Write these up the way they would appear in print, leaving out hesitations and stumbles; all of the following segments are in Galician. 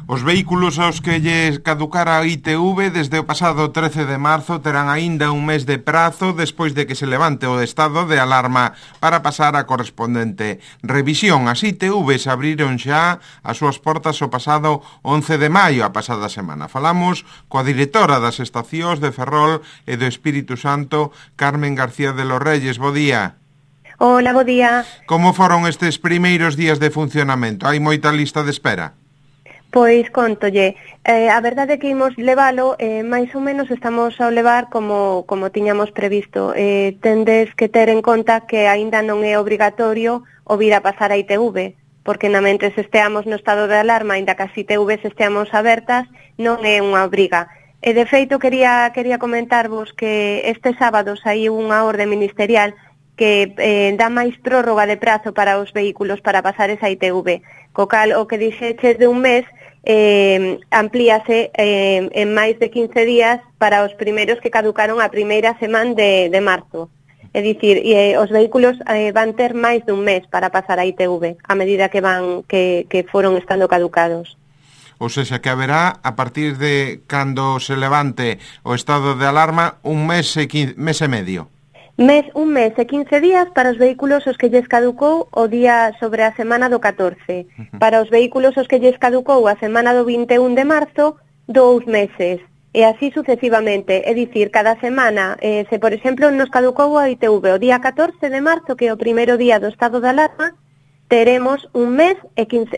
Os vehículos aos que lles caducara a ITV desde o pasado 13 de marzo terán aínda un mes de prazo despois de que se levante o estado de alarma para pasar a correspondente revisión. As ITVs abriron xa as súas portas o pasado 11 de maio, a pasada semana. Falamos coa directora das estacións de Ferrol e do Espírito Santo, Carmen García de los Reyes. Bo día. Hola, bo día. Como foron estes primeiros días de funcionamento? Hai moita lista de espera? Pois contolle, a verdade é que imos levalo, máis ou menos estamos a levar como tiñamos previsto. Tendes que ter en conta que aínda non é obrigatorio o vir a pasar a ITV, porque na mentres esteamos no estado de alarma, aínda que as ITVs esteamos abertas, non é unha obriga. E de feito quería comentarvos que este sábado saiu unha orde ministerial que dá máis prórroga de prazo para os vehículos para pasar esa ITV. Co cal, o que dixeches de un mes amplíase en máis de 15 días para os primeiros que caducaron a primeira semana de marzo. É dicir, os vehículos van ter máis dun mes para pasar a ITV a medida que foron estando caducados. Ou seja, que haberá, a partir de cando se levante o estado de alarma, un mes e medio. Un mes e 15 días para os vehículos os que lles caducou o día sobre a semana do 14. Para os vehículos os que lles caducou a semana do 21 de marzo, 2 meses. E así sucesivamente. É dicir, cada semana, se por exemplo nos caducou a ITV o día 14 de marzo, que é o primeiro día do estado de alarma, teremos un mes e 15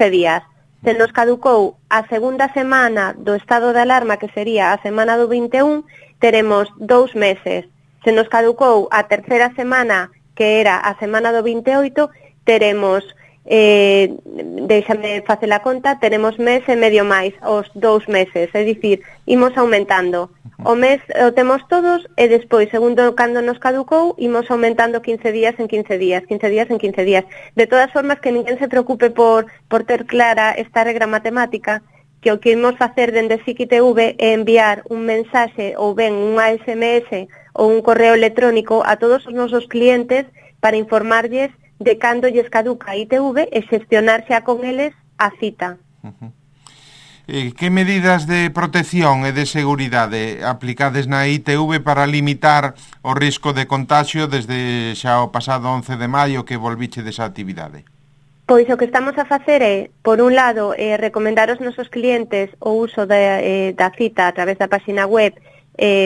días. Se nos caducou a segunda semana do estado de alarma, que sería a semana do 21, teremos 2 meses. Se nos caducou a terceira semana, que era a semana do 28, teremos, déixame facer a conta, teremos mes e medio máis, os 2 meses, é dicir, imos aumentando. O mes o temos todos e despois, segundo cando nos caducou, imos aumentando 15 días en 15 días, 15 días en 15 días. De todas formas, que ninguén se preocupe por ter clara esta regra matemática, que o que imos facer dende SIC-ITV é enviar un mensaxe ou ben unha SMS ou un correo electrónico a todos os nosos clientes para informarlles de cando lles caduca a ITV e xestionar xa con eles a cita. Que medidas de protección e de seguridade aplicades na ITV para limitar o risco de contagio desde xa o pasado 11 de maio que volviche desa actividade? Pois o que estamos a facer é, por un lado, recomendar aos nosos clientes o uso da cita a través da página web,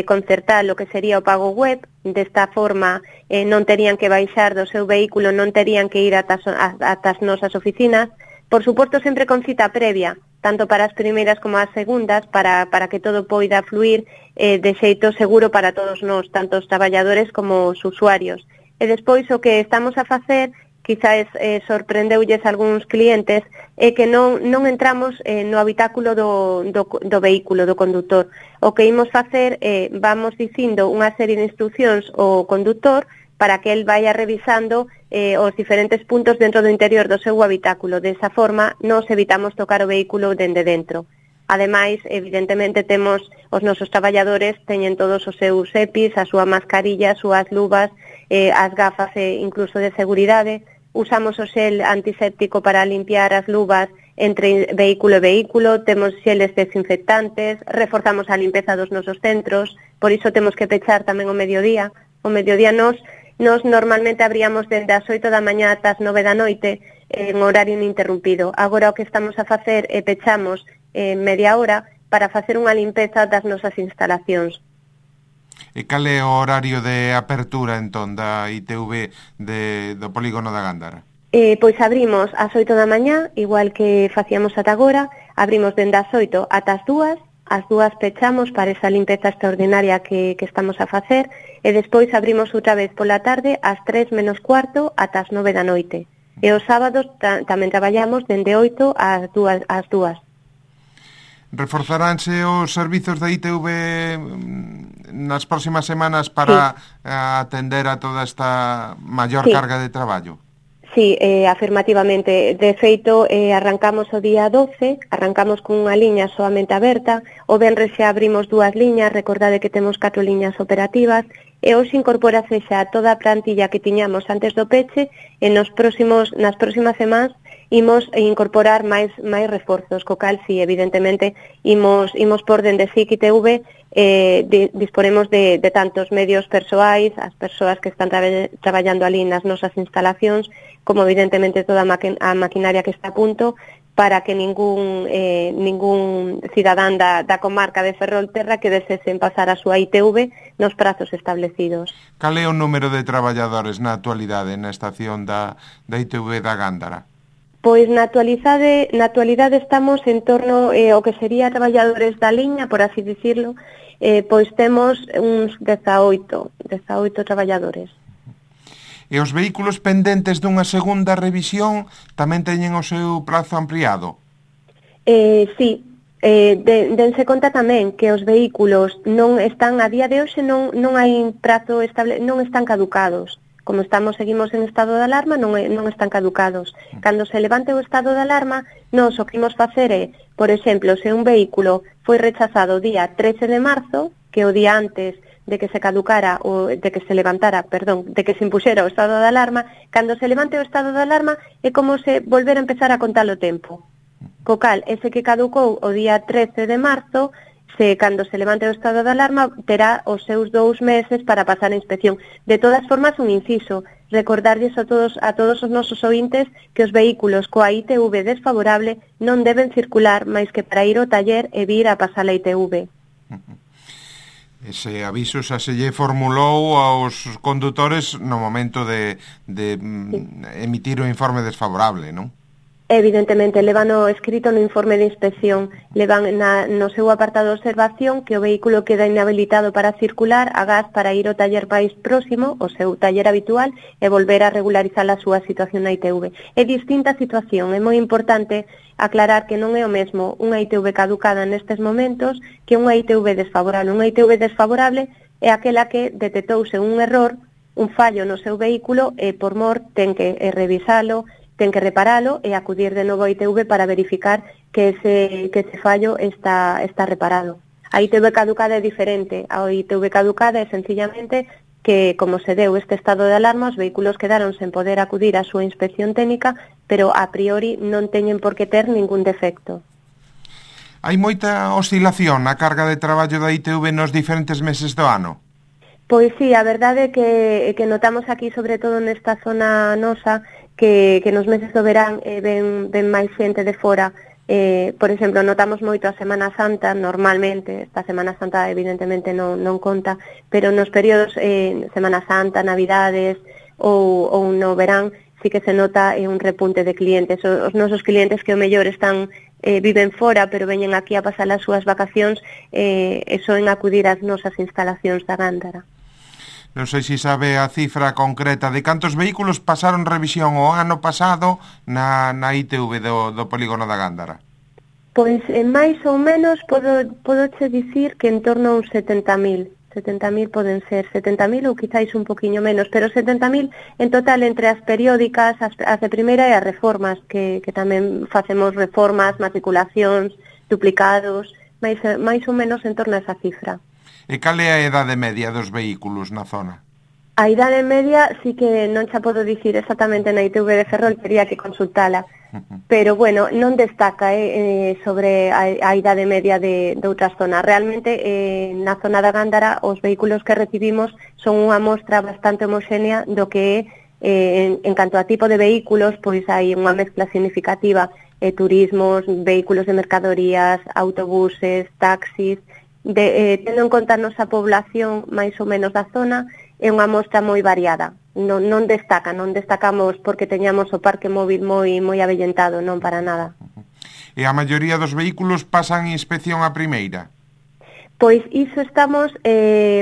concertar o que sería o pago web. Desta forma non terían que baixar do seu vehículo, non terían que ir ata as nosas oficinas. Por suposto, sempre con cita previa, tanto para as primeiras como as segundas, para que todo poida fluir de xeito seguro para todos nós, tanto os traballadores como os usuarios. E despois o que estamos a facer, quizás sorprendeulles algúns clientes, é que non entramos no habitáculo do vehículo, do condutor. O que imos facer é, vamos dicindo unha serie de instruccións ao condutor para que el vaya revisando os diferentes puntos dentro do interior do seu habitáculo. Desa forma, nos evitamos tocar o vehículo dende dentro. Ademais, evidentemente, temos os nosos traballadores, teñen todos os seus EPIs, a súa mascarilla, as súas luvas, as gafas e incluso de seguridade. Usamos o xel antiséptico para limpiar as luvas entre vehículo e vehículo, temos xeles desinfectantes, reforzamos a limpeza dos nosos centros, por iso temos que pechar tamén o mediodía. O mediodía nos normalmente abríamos dende as 8 da mañá ata as 9 da noite en horario ininterrumpido. Agora o que estamos a facer é pechamos media hora para facer unha limpeza das nosas instalacións. E cal é o horario de apertura, entón, da ITV do polígono da Gándara? Pois abrimos ás 8 da mañá, igual que facíamos ata agora, abrimos dende as 8 ata as 2, as 2 pechamos para esa limpeza extraordinaria que estamos a facer, e despois abrimos outra vez pola tarde ás 3 menos cuarto ata as 9 da noite. E os sábados tamén traballamos dende 8 ás 2. Reforzaránse os servizos da ITV nas próximas semanas para atender a toda esta maior carga de traballo? Sí, afirmativamente. De feito, arrancamos o día 12, arrancamos con unha liña soamente aberta, o venres xa abrimos 2 liñas, recordade que temos 4 liñas operativas, e hoxe incorporase xa toda a plantilla que tiñamos antes do peche, e nas próximas semanas imos incorporar máis reforzos, co cal, si, evidentemente, imos por dende SIC ITV, disponemos de tantos medios persoais, as persoas que están traballando ali nas nosas instalacións, como evidentemente toda a maquinaria que está a punto, para que ningún cidadán da comarca de Ferrolterra que desesen pasar a súa ITV nos prazos establecidos. Cal é o número de traballadores na actualidade na estación da ITV da Gándara? Pois na actualidade estamos en torno ao que sería traballadores da liña, por así dicirlo, pois temos uns 18 traballadores. E os vehículos pendentes dunha segunda revisión tamén teñen o seu prazo ampliado? Sí, dense conta tamén que os vehículos non están, a día de hoxe non hai prazo estable, non están caducados. Como seguimos en estado de alarma, non están caducados. Cando se levante o estado de alarma, nós o que imos facer é, por exemplo, se un vehículo foi rechazado o día 13 de marzo, que o día antes de que se caducara, de que se impuxera o estado de alarma, cando se levante o estado de alarma é como se volver a empezar a contar o tempo. Co cal, ese que caducou o día 13 de marzo, cando se levante o estado de alarma, terá os seus 2 meses para pasar a inspección. De todas formas, un inciso, recordarlles a todos os nosos ointes que os vehículos coa ITV desfavorable non deben circular máis que para ir ao taller e vir a pasar a ITV. Ese aviso xa se lle formulou aos condutores no momento de emitir o informe desfavorable, non? Evidentemente, levan escrito no informe de inspección, levan no seu apartado de observación que o vehículo queda inhabilitado para circular agás para ir ao taller máis próximo, o seu taller habitual, e volver a regularizar a súa situación na ITV. É distinta a situación, é moi importante aclarar que non é o mesmo unha ITV caducada nestes momentos que unha ITV desfavorable. Unha ITV desfavorable é aquela que detectouse un error, un fallo no seu vehículo e por mor ten que revisalo, ten que reparalo e acudir de novo a ITV para verificar que ese fallo está reparado. A ITV caducada é diferente. A ITV caducada é sencillamente que, como se deu este estado de alarma, os vehículos quedaron sen poder acudir á súa inspección técnica, pero a priori non teñen por que ter ningún defecto. Hai moita oscilación na carga de traballo da ITV nos diferentes meses do ano? Pois sí, a verdade é que notamos aquí, sobre todo nesta zona nosa, que nos meses do verán ven máis xente de fora. Por exemplo, notamos moito a Semana Santa, normalmente, esta Semana Santa evidentemente non conta, pero nos períodos Semana Santa, Navidades ou no verán, sí que se nota un repunte de clientes. Os nosos clientes que o mellor viven fora, pero veñen aquí a pasar as súas vacacións, soen acudir ás nosas instalacións da Gándara. Non sei se sabe a cifra concreta de cantos vehículos pasaron revisión o ano pasado na ITV do polígono da Gándara. Pois, máis ou menos, podoche dicir que en torno a uns 70.000. 70.000 poden ser, 70.000 ou quizáis un poquinho menos, pero 70.000 en total entre as periódicas, as de primeira e as reformas, que tamén facemos reformas, matriculacións, duplicados, máis ou menos en torno a esa cifra. E cal é a idade media dos vehículos na zona? A idade media sí que non xa podo dicir exactamente na ITV de Ferrol, tería que consultala. Pero, bueno, non destaca sobre a idade media de outras zonas. Realmente, na zona da Gándara, os vehículos que recibimos son unha mostra bastante homoxénea do que é, en canto a tipo de vehículos, pois hai unha mezcla significativa, turismos, vehículos de mercadorías, autobuses, taxis. Tendo en conta a nosa población máis ou menos da zona, é unha mostra moi variada. Non destacamos porque teñamos o parque móvil moi avellentado, non para nada. E a maioría dos vehículos pasan inspección a primeira? Pois iso estamos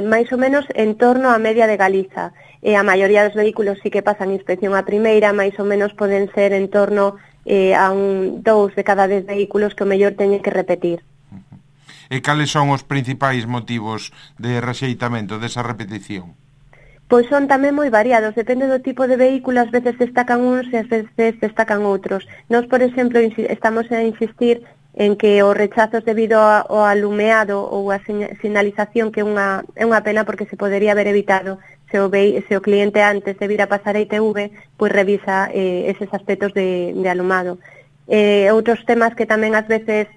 máis ou menos en torno á media de Galiza. A maioría dos vehículos sí que pasan inspección a primeira, máis ou menos poden ser en torno a 2 de cada 10 vehículos que o mellor teñen que repetir. E cales son os principais motivos de rexeitamento desa repetición? Pois son tamén moi variados, depende do tipo de vehículo, ás veces destacan uns e ás veces destacan outros. Nós, por exemplo, estamos a insistir en que os rechazos debido ao alumeado ou a sinalización, que é unha pena porque se podería haber evitado se o cliente antes de vir a pasar a ITV, pois revisa eses aspectos de alumado. Outros temas que tamén ás veces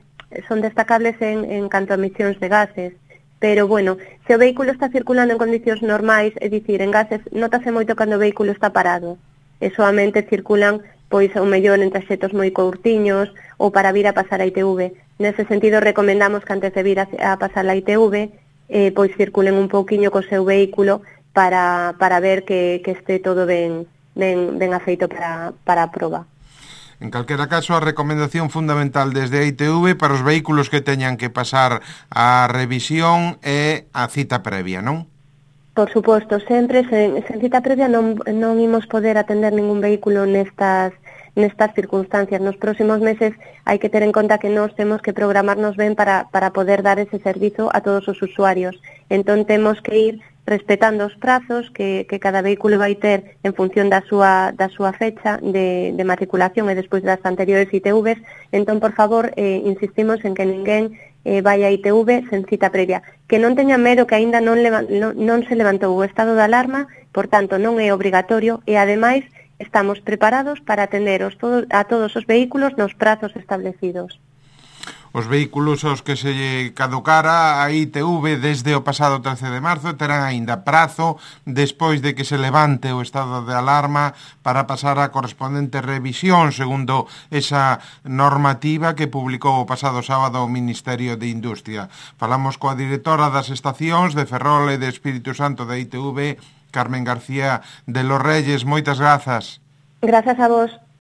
son destacables en canto a emisións de gases, pero, bueno, se o vehículo está circulando en condicións normais, é dicir, en gases, notase moito cando o vehículo está parado, e soamente circulan, pois, ao mellor en traxetos moi curtiños, ou para vir a pasar a ITV. Nese sentido, recomendamos que antes de vir a pasar a ITV, pois circulen un pouquiño co seu vehículo para ver que este todo ben afeito para a proba. En calquera caso, a recomendación fundamental desde a ITV para os vehículos que teñan que pasar a revisión é a cita previa, non? Por suposto, sempre sen cita previa non imos poder atender ningún vehículo nestas circunstancias. Nos próximos meses hai que ter en conta que nós temos que programarnos ben para poder dar ese servizo a todos os usuarios. Entón temos que ir respetando os prazos que cada vehículo vai ter en función da súa fecha de matriculación e despois das anteriores ITVs. Entón, por favor, insistimos en que ninguén vai a ITV sen cita previa. Que non teña medo que aínda non se levantou o estado de alarma, por tanto, non é obrigatorio e, ademais, estamos preparados para atender a todos os vehículos nos prazos establecidos. Os vehículos aos que se caducara a ITV desde o pasado 13 de marzo terán aínda prazo despois de que se levante o estado de alarma para pasar a correspondente revisión segundo esa normativa que publicou o pasado sábado o Ministerio de Industria. Falamos coa directora das estacións de Ferrol e de Espírito Santo da ITV, Carmen García de los Reyes. Moitas grazas. Grazas a vos.